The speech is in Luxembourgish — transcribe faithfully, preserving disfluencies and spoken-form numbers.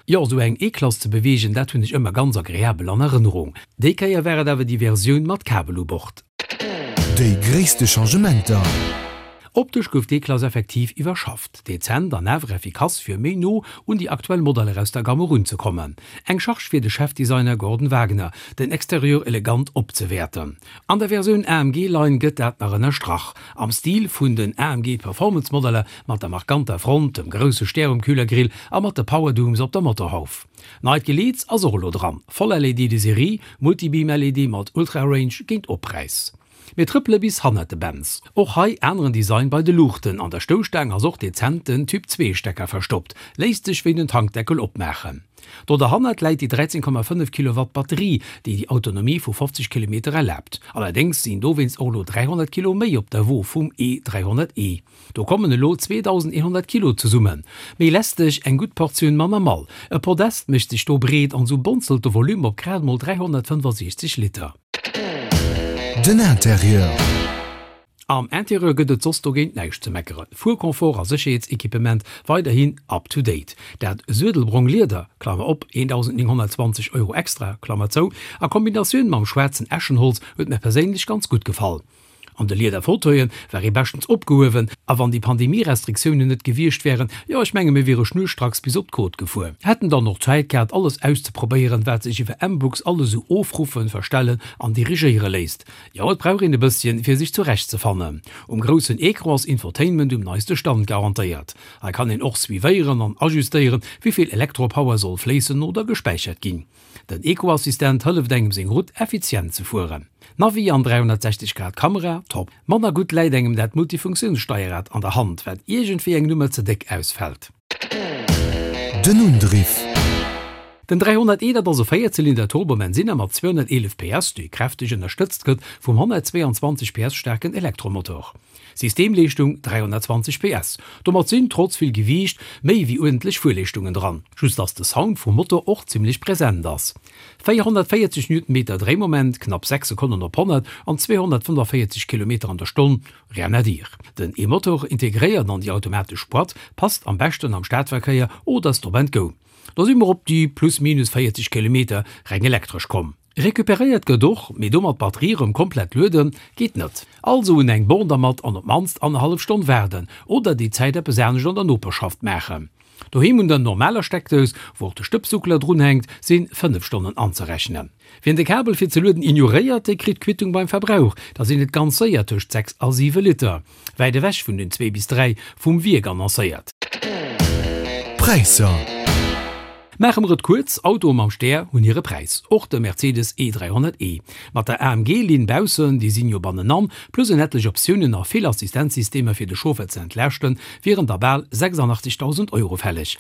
Jo, sou eng E-Klass ze beweegen, dat hunn ech ëmmer ganz agreabel an Erënnerung. Déi Kéier war et awer déi Versioun mat Kabel u Bord. Déi gréisste Changementer. Optesch gouf d'E-Klass effektiv iwwerschafft, dezent an awer effikass fir méi no un déi aktuell Modeller aus der Gamme erunzekommen. Eng Charge fir de Chefdesigner Gorden Wagener, den Exterieur elegant opzewäerten. An der Versioun A M G Line gëtt dat nach ënnerstrach. Am Stil vun den A M G Performance Modeller mat der markanter Front, dem grousse Stär um Kühlergrill a mat de Powerdooms op der Motorhauf. Neit Geleets ass och elo dran, voll L E D de Serie, Multibeam L E D mat Ultra Range géint Oppräis. Mir trëppele bis hannert de Benz. Och hei aneren Design bei de Luuchten, an der Stousstaang ass och dezent den Typ zwee Stecker verstoppt, léisst sech wéi den Tankdeckel opmaachen. Do derhannert läit déi dräizéng Komma fënnef Kilowatt Batterie, déi déi Autonomie vu fofzeg Kilometer erlaabt. Allerdéngs sinn dowéinst och elo dräihonnert Kilo méi op der Wo vum E dräihonnert E. Do kommen elo zweedausendeenhonnert Kilo zesummen. Méi lästeg, eng gutt Portioun manner Mall. E Podest mécht sech do breet an sou bonzelt de Volume op grad mol dräihonnertfënnefasiechzeg Liter. Den Interieur. Am Interieur gëtt et soss dogéint näischt ze meckeren. Fuerconfort a Sécherheetsequipement weiderhin up to date. Dat suedelbrong Lieder, Klammer op, eendausendnénghonnertzwanzeg Euro extra, Klammer zou, a Kombinatioun mam schwaarzen Eschenholz huet mir perséinlech ganz gutt gefall. An de Lieder-Fauteuilen war ee beschtens opgehuewen, a wann déi Pandemie-Restriktiounen net gewiescht wären, jo ech menge mir wiere schnurstracks bis op d'Côte gefuer. Hätten dann och Zäit gehat alles auszeprobéieren, wat sech iwwer MBUX alles sou ofruffen, verstellen an dirigéiere léisst. Jo, et brauch een e bësschen, fir sech zurechtzefannen. Um groussen Ecran ass Infotainment um neiste Stand garantéiert. Hei kann een och suivéieren an ajustéieren, wéi vill Elektropower soll fléissen oder gespäichert ginn. Den Eco-Assistent hëlleft engem seng Route effizient ze fueren. Navi an dräihonnertsechzeg Grad Kamera, top. Manner gutt läit engem dat Multifunktiounssteierrad an der Hand, wat iergendwéi eng Nummer ze déck ausfält. Den Undriff. Den dräihonnert E, dat ass e Véierzylinder Turbobenzinner mat zweehonnerteelef P S, dee kräfteg ënnerstëtzt gëtt vum honnertzweeanzwanzeg P S staarken Elektromotor. Systemleeschtung dräihonnertzwanzeg P S. Domat sinn, trotz vill Gewiicht, méi wéi uerdentlech Fuerleeschtungen dran. Just dass de Sound vum Motor och zimmlech present ass. véierhonnertvéierzeg Newtonmeter Dréimoment, knapp sechs Sekonnen op honnert an zweehonnertfënnefavierzeg Kilometer an der Stonn, rien à dire. Den E-Motor, integréiert an déi automatesch Boîte, passt am beschten am Stadverkéier oder Stop and Go. Do si mer op déi plus minus véierzeg Kilometer reng elektresch komm. Recuperéiert gëtt och, mee domat d'Batterie rëm komplett lueden, geet net. Also un eng Born dermat an op d'mannst annerhallef Stonn waarden oder déi Zäit eppes anescht an der Noperschaft maachen. Doheem un der normaler Steckdous, wou och de Stëbssuckler drunhänkt, si fënnef Stonnen anzerechnen. Wien de Kabel fir ze lueden ignoréiert, dee kritt d'Quittung beim Verbrauch, da sinn et ganz séier tëscht sechs a siwe Liter. Wäit ewech vun den zwee bis dräi vum Wierk annoncéiert. Präisser. Maache mer et kuerz, Autoe mam Stär hunn hire Präis, och de Mercedes E dräihonnert E. Mat der A M G-Linn baussen, déi sinn jo bannenan, plus en etlech Optiounen a vill Assistenzsystemer fir de Chauffer ze entlaaschten, wieren da bal sechsandachtzegdausend Euro fälleg.